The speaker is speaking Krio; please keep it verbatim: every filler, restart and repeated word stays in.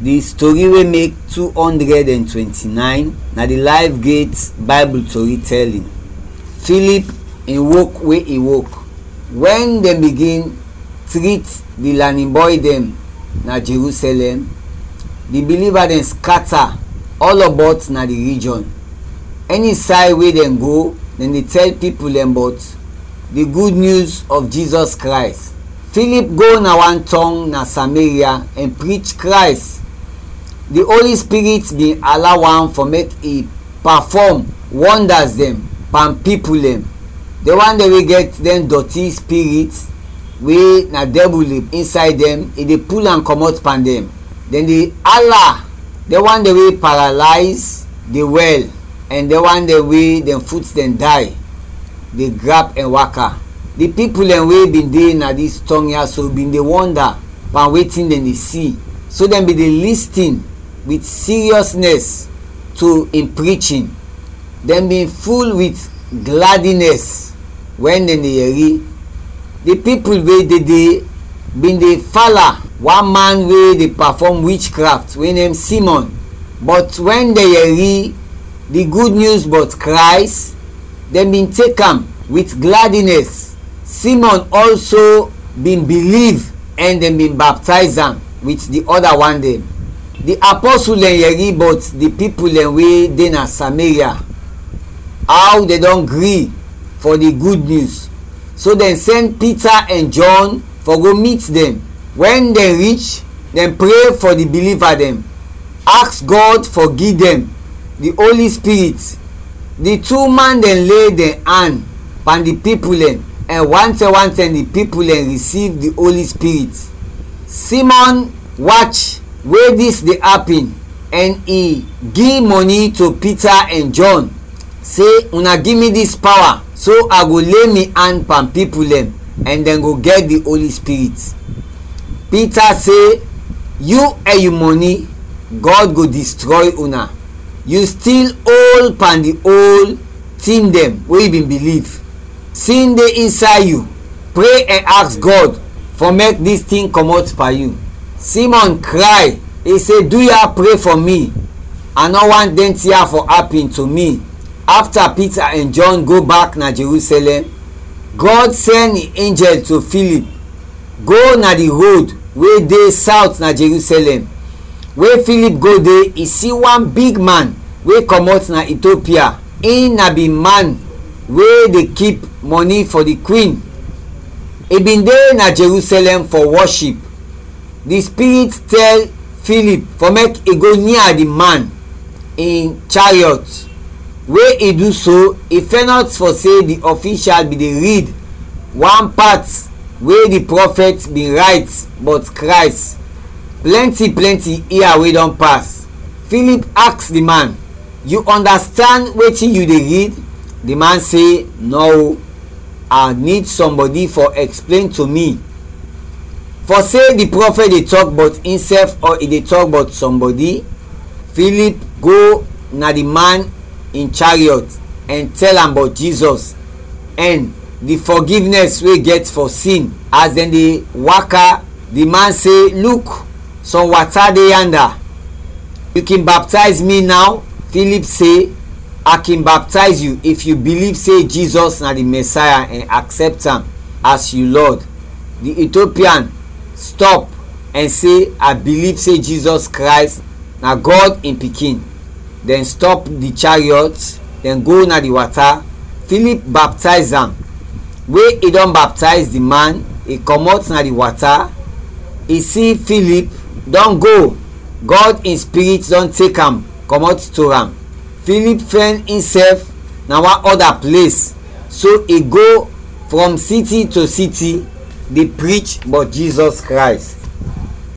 Di story wey mek two hundred and twenty-nine na di Life Gate Bible tori telling. Philip in wok we i wok. Wen dem bigin treat di lanin bɔy dɛn na Jerusalem, di biliva dɛn skata ɔlɔbɔt na di rijɔn. Ɛni say we dɛn go, dɛn de tɛl pipul dɛn bɔt di Gud Nyus ɔf Jizɔs Krays. Philip go na wan tɔng na Sameria ɛn prich Krays. Di Oli Spirit bin alaw am fɔ mek i pafɔm wɔndas dɛn pan pipul dɛn. Dɛn wan dɛn we gɛt dɛn dɔti spirit we na dɛbul de insay dɛn, i de pul am kɔmɔt pan dɛn. Dɛn de ala, dɛn wan dɛn we paralayz de wɛl, ɛn dɛn wan dɛn we dɛn fut dɛn day de grap ɛn waka. Di pipul dɛn we bin de na dis tɔng ya so bin de wɔnda pan wetin dɛn de si, so dɛn bin de listin wit siriɔsnɛs to in prichin. Dɛn bin ful wit gladinɛs wɛn dɛn de yɛri. Di pipul we de de bin de fala wan man we de pafɔm wichkraft we nem Simɔn. Bɔt wɛn dɛn yɛri di Gud Nyus bɔt Krays, dɛn bin tek am wit gladinɛs. Simɔn ɔlso bin biliv ɛn dɛn bin baptayz am wit di ɔda wan dɛn. Di apɔsul dɛn yɛri bɔt di pipul dɛn we de na Sameria, aw dɛn dɔn gri fɔ di Gud Nyus. So dɛn sɛn Pita ɛn Jɔn fɔ go mit dɛn. Wɛn dɛn rich, dɛn pre fɔ di biliva dɛn, aks Gɔd fɔ gi dɛn di Oli Spirit. Di tu man dɛn le dɛn an pan di pipul dɛn, ɛn wantɛm wantɛm di pipul dɛn risiv di Oli Spirit. Simɔn wach we dis de apin, ɛn i gi mɔni to Pita ɛn Jɔn, se, "Una gi mi dis pawa, so a go le mi an pan pipul dɛn, ɛn dɛn go gɛt di Oli Spirit." Pita se, "Yu ɛn yu mɔni, Gɔd go distrɔy una. Yu stil ol pan di ol tin dɛn we yu bin biliv. Sin de insay yu, pre ɛn aks Gɔd fɔ mek dis tin kɔmɔt pan yu." Simɔn kray, i se, "Duya, pre fɔ mi. A nɔ want dɛn tin ya fɔ apin to mi." Afta Pita ɛn Jɔn go bak na Jerusalɛm, Gɔd sɛn in enjɛl to Filip go na di rod we de sawt na Jerusalɛm. We Filip go de, i si wan big man we kɔmɔt na Itiopia. In na bin man we de kip mɔni fɔ di kwin. I bin de na Jerusalɛm fɔ wɔship. Di Spirit tɛl Filip fɔ mek i go nia di man in chariɔt. We i du so, i fɛnɔt fɔ se di ɔfishal bin de rid wan pat we di prɔfɛt bin rayt bɔt Krays, plɛnti plɛnti ia we dɔn pas. Filip aks di man, "Yu ɔndastand wetin yu de rid?" Di man se, "Nɔ, a nid sɔmbɔdi fɔ ɛksplen to mi." Fɔ se di prɔfɛt de tɔk bɔt insɛf ɔ i de tɔk bɔt sɔmbɔdi, Filip go na di man in chariɔt ɛn tɛl am bɔt Jizɔs ɛn di fɔgivnɛs we gɛt fɔ sin. As dɛn de waka, di man se, "Luk, sɔm wata de yanda. Yu kin baptayz mi naw?" Filip se, "A kin baptayz yu if yu biliv se Jizɔs na di Mɛsaya ɛn aksɛpt am as yu Lɔd." Di Itiopian stɔp ɛn se, "A biliv se Jizɔs Krays na Gɔd in Pikin." Dɛn stɔp di chariɔt, dɛn go na di wata. Filip baptayz am. We i dɔn baptayz di man, i kɔmɔt na di wata, i si Filip dɔn go, Gɔd in Spirit dɔn tek am kɔmɔt to am. Filip fɛn insɛf na wan ɔda ples, so i go frɔm siti to siti de prich bɔt Jizɔs Krays.